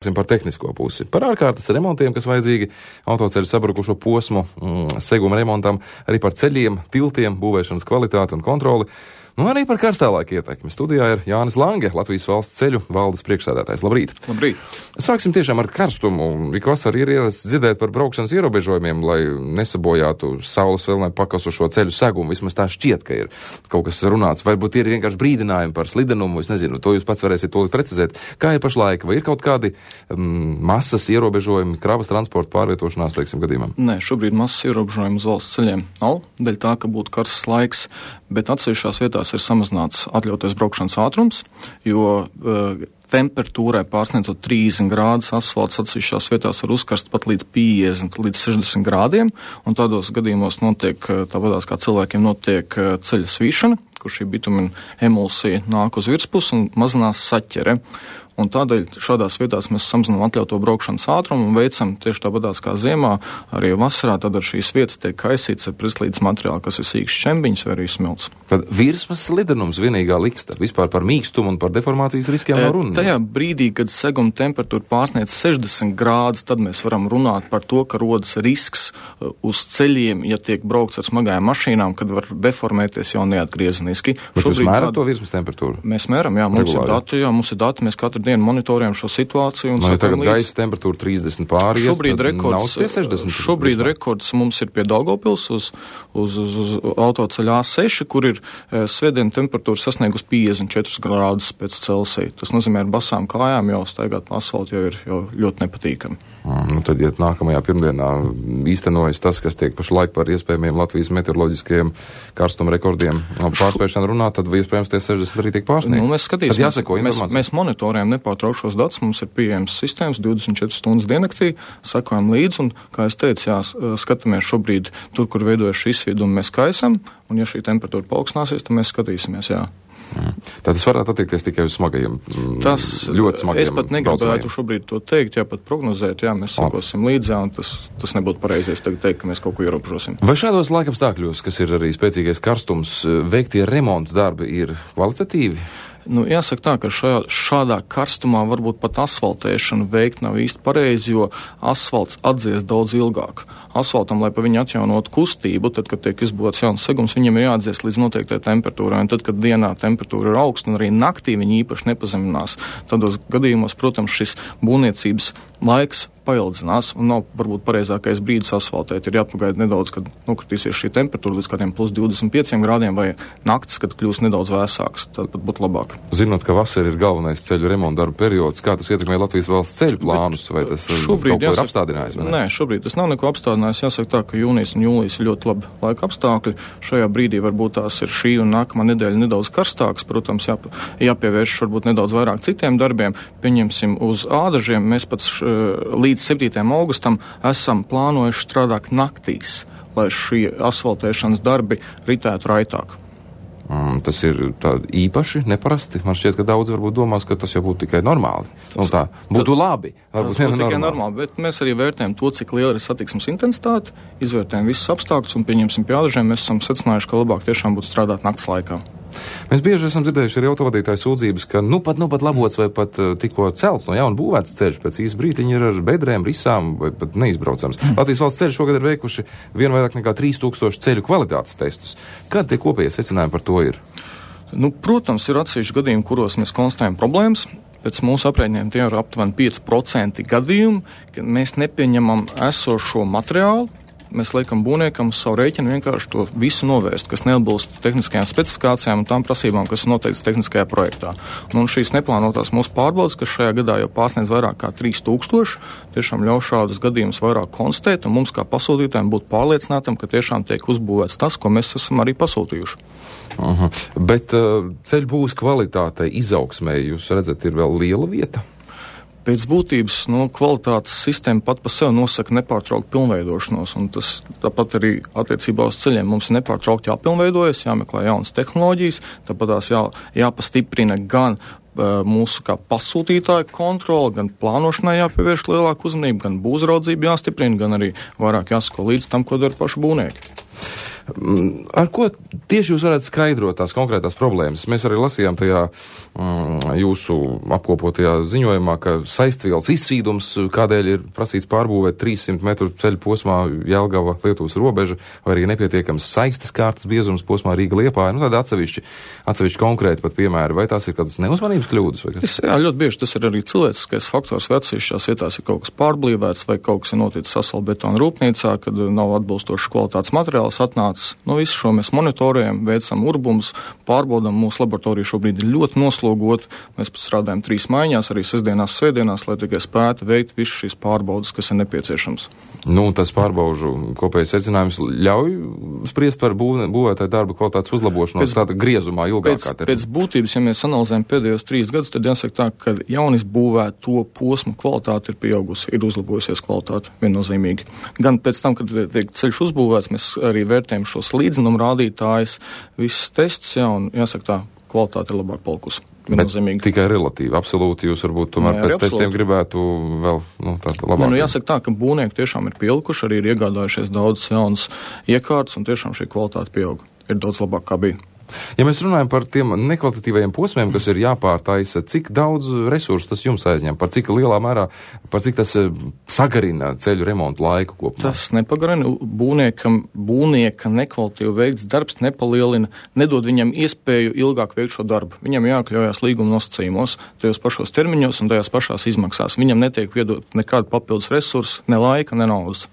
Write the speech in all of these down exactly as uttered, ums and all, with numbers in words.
Par tehnisko pusi, par ārkārtas remontiem, kas vajadzīgi autoceļu sabrukušo posmu, mm, seguma remontam, arī par ceļiem, tiltiem, būvēšanas kvalitāti un kontroli, nu arī par karstālaika ietekmi. Studijā ir Jānis Lange, Latvijas valsts ceļu valdes priekšsēdētājs. Labrīt! Labrīt! Sāksim tiešām ar karstumu. Ik vasar ir ierasts dzirdēt par braukšanas ierobežojumiem, lai nesabojātu saules vēl nepakasušo ceļu segumu. Vismaz tā šķiet, ka ir kaut kas runāts. Varbūt ir vienkārši brīdinājumi par slidenumu, es nezinu, to jūs pats varēsiet tūlīt precizēt. Kā ir pašlaik? Vai ir kaut kādi um, masas ierobežojumi kravas transporta pārvietošanās, teiksim, gadījumam? Nē, šobrīd masas ierobežojumi uz valsts ceļiem nav, daļa tā, ka būtu karsts laiks, bet atsevišķās vietās ir samazināts atļautais braukšanas ātrums, jo uh, temperatūrai pārsniedzot trīsdesmit grādus, asfalts atsevišķās vietās var uzkarst pat līdz piecdesmit līdz sešdesmit grādiem, un tādos gadījumos notiek, tāpatās kā cilvēkiem notiek ceļa svīšana, kur šī bitumina emulsija nāk uz virspusi un mazinās saķere. Un tādēļ šādās vietās mēs samazinām atļauto braukšanas ātrumu un veicam tieši tāpatās kā ziemā, arī vasarā, tad ar šīs vietas tiek kaisīts ar prislīdes materiālu, kas ir sīks šķembiņš vai arī smilts. Tad virsmas slidenums vienīgā liksta. Vispār par mīkstumu un par deformācijas riskiem nav runa. Tajā brīdī, kad seguma temperatūra pārsniedz sešdesmit grādus, tad mēs varam runāt par to, ka rodas risks uz ceļiem, ja tiek braukts ar smagajām mašīnām, kad var deformēties jau neatgriezeniski. Bet jūs mērat to virsmas temperatūru? Mēs mēram, jā, mums Regulāri. ir dati, jā, mums ir dati, mēs katru dienu monitorējam šo situāciju. Un no, ja tagad līdz... gaisa temperatūra trīsdesmit pāri, šobrīd rekords, šobrīd rekords mums ir pie Daugavpils uz, uz, uz, uz autoceļa A seši, kur ir e, svētdiena temperatūra sasniegus piecdesmit četras grādus pēc Celsija. Tas nozīmē, ar basām kājām jau staigāt pa asfaltu jau ir jau ļoti nepatīkami. Mm, nu tad, ja nākamajā pirmdienā īstenojas tas, kas tiek pašlaik par iespējamiem Latvijas meteoroloģiskajiem karstuma rekordiem pārspēšanu runāt, tad iespējams tie sešdesmit arī tiek pārsniegt. Nu, mēs skatīsimies, jāseko mēs, mēs monitorējam nepārtraukšos datus, mums ir pieejams sistēmas divdesmit četras stundas diennaktī, sakojam līdzi, un, kā es teicu, jā, skatāmies šobrīd tur, kur veidojas šī izsvieduma, mēs kaisam, un ja šī temperatūra paaugstināsies, tad mēs skatīsimies, jā. Mm. Tā tas varētu attiekties tikai uz smagajiem, tas, ļoti smagajiem es pat negribētu šobrīd to teikt, jā, pat prognozēt, jā, mēs sakosim līdzi, un tas, tas nebūtu pareizies tagad teikt, ka mēs kaut ko ierobežosim. Vai šādos laikapstākļos, kas ir arī spēcīgais karstums, veiktie remontu darbi ir kvalitatīvi? Nu, jāsaka tā, ka šajā, šādā karstumā varbūt pat asfaltēšanu veikt nav īsti pareizi, jo asfalts atdzies daudz ilgāk. Asfaltam, lai pa viņu atjaunot kustību, tad, kad tiek izbūvēts jauns segums, viņam ir jāatdzies līdz noteiktai temperatūrai, un tad, kad dienā temperatūra ir augsta un arī naktī viņa īpaši nepazeminās, tādos gadījumos, protams, šis būvniecības laiks paildzinās un nav varbūt pareizākais brīdis asfaltēt. Ir jāpagaida nedaudz, kad nokritīsies šī temperatūra līdz kādiem plus divdesmit pieciem grādiem vai naktis, kad kļūs nedaudz vēsāks. Tad pat būtu labāk. Zinot, ka vasara ir galvenais ceļu remonta darba periods, kā tas ietekmē Latvijas valsts ceļu plānus, vai tas šobrīd, kaut ko ir apstādinājis? Vai ne? Nē, šobrīd tas nav neko apstādinājis. Jāsaka tā, ka jūnijas un jūlijas ir ļoti labi laika apstākļi. Šajā brīdī varbūt tās ir šī un nākamā nedēļa nedaudz karstāks. Protams, jā, jāpievērš varbūt nedaudz vairāk citiem darbiem. Pieņemsim uz ādažiem. Mēs pat š, līdz septītajam augustam esam plānojuši strādāt naktīs, lai šie asfaltēšanas darbi ritētu raitāk. Mm, tas ir tā īpaši neparasti. Man šķiet, ka daudz varbūt domās, ka tas jau būtu tikai normāli. Un tā būtu tad, labi. Tas būtu tikai normāli. normāli, bet mēs arī vērtējam to, cik liela ir satiksmes intensitāte, izvērtējam visus apstākļus un pieņemsim pie ādažiem. Mēs esam secinājuši, ka labāk tiešām būtu strādāt nakts laikā. Mēs bieži esam dzirdējuši arī autovadītāju sūdzības, ka nu pat, nu pat labots vai pat uh, tikko celts no jauna būvēts ceļš, pēc īsa brītiņa ir ar bedrēm, risām vai pat neizbraucams. Mm. Latvijas valsts ceļš šogad ir veikuši vien vairāk nekā trīs tūkstoši ceļu kvalitātes testus. Kādi tie kopējie secinājumi par to ir? Nu, protams, ir atsevišķi gadījumi, kuros mēs konstatējam problēmas. Pēc mūsu aprēķiniem tie ir aptuveni pieci procenti gadījumu, kad mēs nepieņemam esošo materiālu. Mēs liekam būvniekam uz savu rēķinu vienkārši to visu novērst, kas neatbilst tehniskajām specifikācijām un tām prasībām, kas ir noteikts tehniskajā projektā. Un šīs neplānotās mūsu pārbaudas, kas šajā gadā jau pārsniedz vairāk kā trīs tūkstoši, tiešām ļauj šādus gadījumus vairāk konstatēt, un mums kā pasūtītājiem būt pārliecinātam, ka tiešām tiek uzbūvēts tas, ko mēs esam arī pasūtījuši. Uh-huh. Bet uh, ceļu būvs kvalitātei, izaugsmē, jūs redzat, ir vēl liela vieta? Pēc būtības no kvalitātes sistēma pat pa sevi nosaka nepārtrauktu pilnveidošanos, un tas tāpat arī attiecībā uz ceļiem mums ir nepārtraukti jāpilnveidojas, jāmeklē jaunas tehnoloģijas, tāpat tās jā, jāpastiprina gan uh, mūsu kā pasūtītāju kontroli, gan plānošanai jāpievērš lielāku uzmanību, gan būvraudzību jāstiprina, gan arī vairāk jāsako līdz tam, ko dara paši būvnieki. Ar ko tieši jūs varētu skaidrot tās konkrētās problēmas? Mēs arī lasījām tajā mm, jūsu apkopotajā ziņojumā, ka saistvielas izsvīdums, kādēļ ir prasīts pārbūvēt trīssimt metru ceļu posmā Jelgava Lietuvas robeža, vai arī nepietiekams saistes kārtas biezums posmā Rīga Liepāja. Nu, tādi atsevišķi, atsevišķi konkrēti pat piemēri. Vai tās ir kādas neuzmanības kļūdas? Vai tas, jā, ļoti bieži tas ir arī cilvēciskais faktors, vai atsevišķās vietās ir kaut kas pārblīvēts, vai kaut kas ir noticis asalbetona rūpnīcā, kad nav atbilstošs kvalitātes materiāls atnācis. Nu, visu šo mēs monitorējam, veicam urbumus, pārbaudam. Mūsu laboratorija šobrīd ir ļoti noslogot. Mēs strādājam trīs maiņās, arī sestdienās, svētdienās, lai tikai spētu veikt visu šīs pārbaudas, kas ir nepieciešams. Nu, tas pārbaužu kopējais secinājums ļauj spriest par būv, būvētāju darbu kvalitātes uzlabošanos tāda griezumā ilgākā termiņā. Pēc būtības, ja mēs analizējam pēdējos trīs gadus, tad jāsaka tā, ka jaunis būvēto posmu kvalitāte ir pieaugusi, ir uzlabojusies kvalitāte viennozīmīgi. Gan pēc tam, kad tiek ceļš uzbūvēts, mēs arī vērtējam šos līdzinumu rādītājus, visus testus, jā, un jāsaka tā, kvalitāte ir labāk palikusi. Bet tikai relatīvi, absolūti jūs varbūt tomēr jā, pēc absolūti. Testiem gribētu vēl, nu, tāda labāk. Ne, nu, jāsaka tā, ka būvnieki tiešām ir pielikuši, arī ir iegādājušies daudz jaunas iekārtas, un tiešām šī kvalitāte pieauga. Ir daudz labāk, kā bija. Ja mēs runājam par tiem nekvalitatīvajiem posmiem, kas ir jāpārtaisa, cik daudz resursu tas jums aizņem, par cik lielā mērā, par cik tas sagarina ceļu remontu laiku kopumā? Tas nepagarina. Būvniekam, būvnieka nekvalitīvi veikts darbs nepalielina, nedod viņam iespēju ilgāk veikt šo darbu. Viņam jākļaujās līguma nosacījumos, tajos pašos termiņos un tajās pašās izmaksās. Viņam netiek piedot nekādu papildus resursu, ne laika, ne naudas.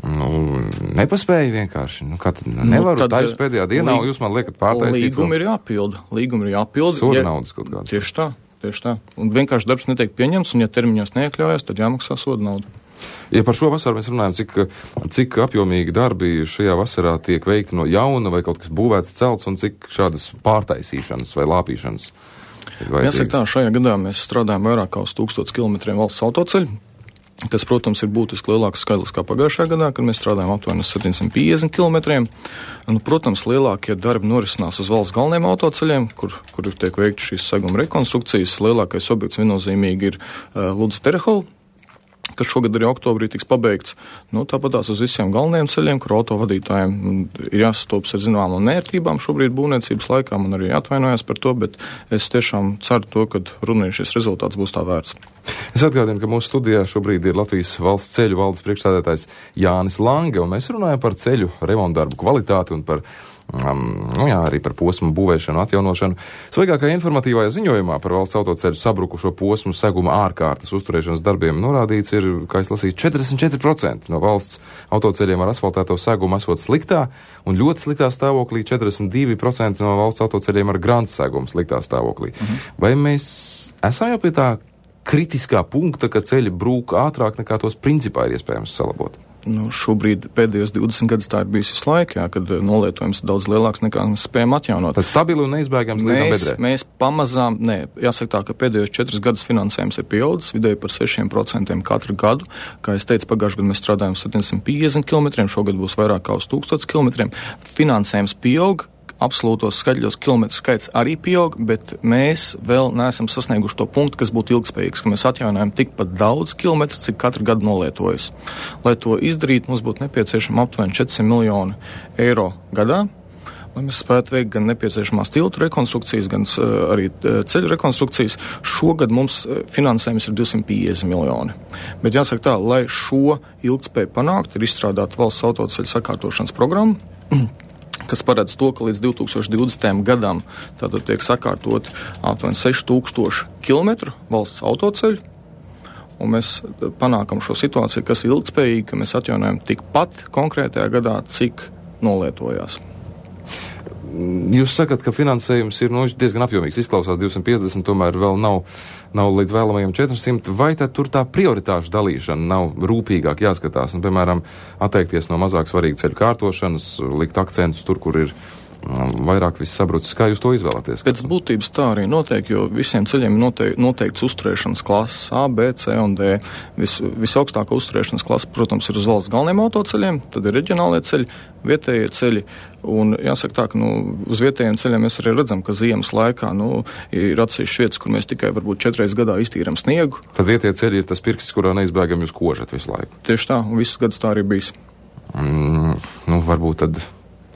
Nu, nepaspēja vienkārši. Nu, kā tad nevaru, nu, tā jūs pēdējā dienā, līg... jūs man liekat pārtaisīt. Līgumi ir jāpilda. Līgumi ir jāpilda. Soda ja... naudas kaut kāda. Tieši tā, tieši tā. Un vienkārši darbs netiek pieņemts, un ja termiņos neiekļaujas, tad jāmaksā soda nauda. Ja par šo vasaru mēs runājam, cik, cik apjomīgi darbi šajā vasarā tiek veikti no jauna, vai kaut kas būvēts celts, un cik šādas pārtaisīšanas vai lāpīšanas ir vajadzīgas? Jāsaka tā, šajā gadā mēs strādājam vairāk kā uz tūkstots kilometriem valsts autoceļu, kas, protams, ir būtiski lielāks skaidrs kā pagājušajā gadā, kad mēs strādājam aptuveni uz septiņsimt piecdesmit kilometriem. Nu, protams, lielākie darbi norisinās uz valsts galvenajiem autoceļiem, kur, kur tiek veikti šīs seguma rekonstrukcijas. Lielākais objekts viennozīmīgi ir uh, Ludzas Terehola, kas šogad arī oktobrī tiks pabeigts. Nu, tāpat tās uz visiem galvenajiem ceļiem, kur autovadītājiem ir jāsastopas ar zināmām nērtībām šobrīd būvniecības laikā, man arī atvainojās par to, bet es tiešām ceru to, ka runājot šis rezultāts būs tā vērts. Es atgādinu, ka mūsu studijā šobrīd ir Latvijas valsts ceļu valdes priekšsēdētājs Jānis Lange, un mēs runājam par ceļu remontdarbu kvalitāti un par Um, nu jā, arī par posmu būvēšanu, atjaunošanu. Svaigākajā informatīvajā ziņojumā par valsts autoceļu sabrukušo posmu seguma ārkārtas uzturēšanas darbiem norādīts ir, kā es lasīju, četrdesmit četri procenti no valsts autoceļiem ar asfaltēto segumu esot sliktā, un ļoti sliktā stāvoklī četrdesmit divi procenti no valsts autoceļiem ar grants segumu sliktā stāvoklī. Mhm. Vai mēs esam jau pie tā kritiskā punkta, ka ceļi brūk ātrāk nekā tos principā ir iespējams salabot? Nu, šobrīd pēdējos divdesmit gadus tā ir bijis visu laiku, jā, kad nolietojums ir daudz lielāks nekā mēs spējam atjaunot. Tad stabili un neizbēgams līdz bedrē? Mēs pamazām, nē, jāsaka tā, ka pēdējos četrus gadus finansējums ir pieaudzis vidēji par sešiem procentiem katru gadu. Kā es teicu, pagājušajā gadā mēs strādājam septiņsimt piecdesmit kilometriem, šogad būs vairāk kā uz tūkstots kilometriem. Finansējums pieaug. Absolūtos skaļos kilometru skaits arī pieaug, bet mēs vēl neesam sasnieguši to punktu, kas būtu ilgspējīgs, ka mēs atjaunojam tikpat daudz kilometrus, cik katru gadu nolietojas. Lai to izdarītu, mums būtu nepieciešama aptuveni četrsimt miljoni eiro gadā, lai mēs spētu veikt gan nepieciešamās tiltu rekonstrukcijas, gan uh, arī uh, ceļu rekonstrukcijas. Šogad mums uh, finansējums ir divsimt piecdesmit miljoni. Bet jāsaka tā, lai šo ilgspēju panākt, ir izstrādāta valsts autoceļu sakārtošanas programma, kas paredz to, ka līdz divi tūkstoši divdesmitajam gadam tātad tiek sakārtot aptuveni seši tūkstoši kilometru valsts autoceļu, un mēs panākam šo situāciju, kas ir ilgspējīga, ka mēs atjaunojam tikpat konkrētajā gadā, cik nolietojās. Jūs sakat, ka finansējums ir nu, diezgan apjomīgs, izklausās divsimt piecdesmit, tomēr vēl nav, nav līdz vēlamajiem četrsimt, vai tad tur tā prioritāšu dalīšana nav rūpīgāk jāskatās, un, piemēram, atteikties no mazāk svarīgu ceļu kārtošanas, likt akcentus tur, kur ir vairāk viss sabrucis. Kā jūs to izvēlaties? Pēc būtības tā arī notiek, jo visiem ceļiem ir noteik, noteikts uzturēšanas klases A, B, C un D. Vis, visaugstākā uzturēšanas klase, protams, ir uz valsts galvenajiem autoceļiem, tad ir reģionālie ceļi, vietējie ceļi, un jāsaka tā, ka nu, uz vietējiem ceļiem mēs arī redzam, ka ziemas laikā nu, ir atsevišķas vietas, kur mēs tikai varbūt četreiz gadā iztīram sniegu. Tad vietējie ceļi ir tas pirksts, kurā neizbēgam jūs kožat visu laiku. Tieši tā, un viss gads tā arī bijis. Mm, nu, varbūt tad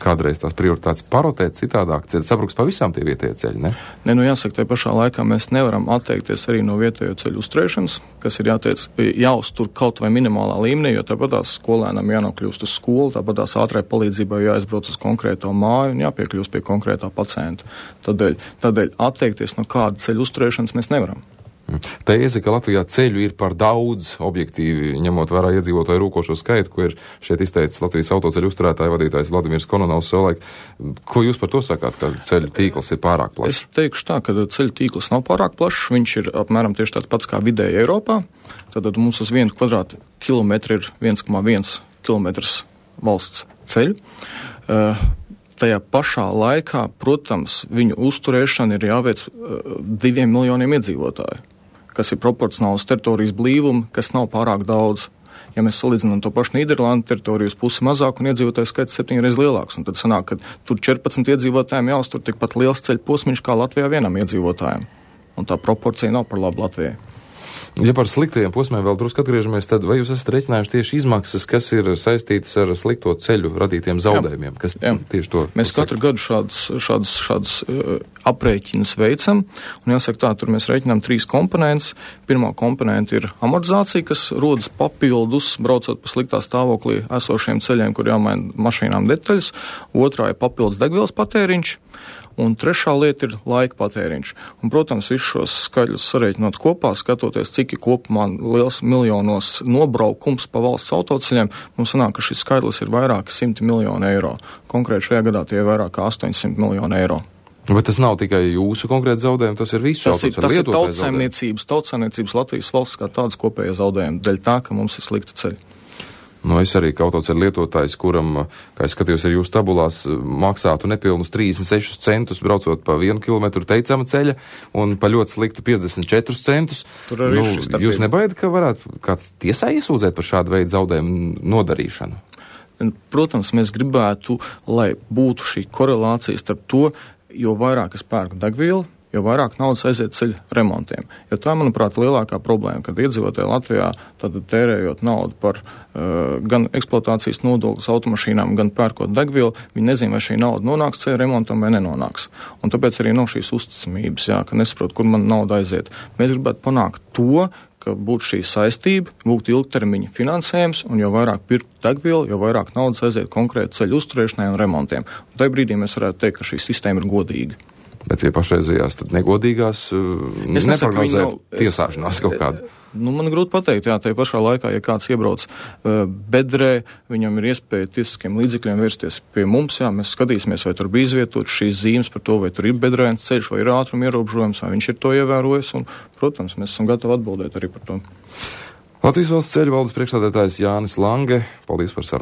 kādreiz tās prioritātes parotēt citādāk, ceļi sabruks pavisam tie vietējie ceļi, ne? Ne, nu jāsaka, tajā pašā laikā mēs nevaram atteikties arī no vietējo ceļu uzturēšanas, kas ir jāteic, jāuztur kaut vai minimālā līmenī, jo tāpat tās skolēnam jānokļūst uz skolu, tāpat tās ātrai palīdzībai jāizbrauc uz konkrēto māju un jāpiekļūst pie konkrētā pacienta. Tādēļ, tādēļ atteikties no kāda ceļu uzturēšanas mēs nevaram. Tēze, ka Latvijā ceļu ir par daudz, objektīvi ņemot vērā iedzīvotāju rūkošo skaitu, ko ir šeit izteicis Latvijas autoceļu uzturētāja vadītājs Vladimirs Kononovs savulaik. Ko jūs par to sakāt, ka ceļu tīkls ir pārāk plašs? Es teikšu tā, ka ceļu tīkls nav pārāk plašs, viņš ir apmēram tieši tāds pats kā vidēji Eiropā. Tātad mums uz vienu kvadrātu kilometru ir viens komats viens kilometrs valsts ceļu. Uh, Tajā pašā laikā, protams, viņu uzturēšana ir jāveic uh, diviem miljoniem iedzīvotāju, kas ir proporcionāls teritorijas blīvuma, kas nav pārāk daudz. Ja mēs salīdzinām to pašu Nīderlandu, teritorijas pusi mazāk un iedzīvotāju skaits septiņreiz lielāks, un tad sanāk, ka tur četrpadsmit iedzīvotājiem jāuztur tikpat liels ceļu posmiņš kā Latvijā vienam iedzīvotājiem. Un tā proporcija nav par labu Latvijai. Ja par sliktajiem posmiem vēl drusku atgriežamies, tad vai jūs esat reiķinājuši tieši izmaksas, kas ir saistītas ar slikto ceļu radītiem zaudējumiem? Kas jā. Tieši to? Mēs katru gadu šādas, šādas, šādas uh, aprēķinas veicam, un jāsaka tā, tur mēs reiķinām trīs komponentes. Pirmā komponenta ir amortizācija, kas rodas papildus, braucot pa sliktā stāvoklī esošiem ceļiem, kur jāmaina mašīnām detaļas. Otrā ir papildus degvielas patēriņš. Un trešā lieta ir laika patēriņš. Un, protams, visus šos skaļus sarēķinot kopā, skatoties, cik ir kopumā liels miljonos nobraukums pa valsts autoceļiem, mums sanāk, ka šis skaidrs ir vairāki simti miljoni eiro. Konkrēti šajā gadā tie ir vairāk kā astoņsimt miljoni eiro. Bet tas nav tikai jūsu konkrēti zaudējumi, tas ir visu tas autoceļu. Tas ir tautsaimniecības, tautsaimniecības Latvijas valsts kā tādas kopējas zaudējumi, dēļ tā, ka mums ir slikti ceļi. Nu, es arī kā autoceļu lietotājs, kuram, kā es skatījos ar jūsu tabulās, maksātu nepilnus trīsdesmit sešus centus braucot pa vienu kilometru teicama ceļa un pa ļoti sliktu piecdesmit četrus centus. Tur arī nu, šis starpība. Jūs nebaidat, ka varētu kāds tiesā iesūdzēt par šādu veidu zaudējumu nodarīšanu? Protams, mēs gribētu, lai būtu šī korelācija starp to, jo vairāk es pērku degvielu, jo vairāk naudas aiziet ceļu remontiem. Jo tā, manuprāt, lielākā problēma, kad iedzīvotāji Latvijā tad tērējot naudu par uh, gan eksploatācijas nodokļus automašīnām, gan pērkot degvielu, viņi nezina, vai šī nauda nonāks ceļu remontam vai nenonāks. Un tāpēc arī nav šīs uzticamības, jā, ka nesaprot, kur man nauda aiziet. Mēs gribētu panākt to, ka būtu šī saistība, būtu ilgtermiņa finansējums, un jo vairāk pirkt degvielu, jo vairāk naudas aiziet konkrēti ceļu uzturēšanai un remontiem. Un tajā brīdī mēs varētu teikt, ka šī sistēma ir godīga. Bet pie pašreizējās tad negodīgās neprognozēt nav... tiesāšanās kaut kādu. Nu, man grūti pateikt, jā, tajā pašā laikā, ja kāds iebrauc uh, bedrē, viņam ir iespēja tiesiskiem līdzekļiem vērsties pie mums, jā, mēs skatīsimies, vai tur bija izvietot šīs zīmes par to, vai tur ir bedrēns ceļš, vai ir ātruma ierobežojums, vai viņš ir to ievērojis, un, protams, mēs esam gatavi atbildēt arī par to. Latvijas valsts ceļu valdes priekšsēdētājs Jānis Lange, paldies par sarunu.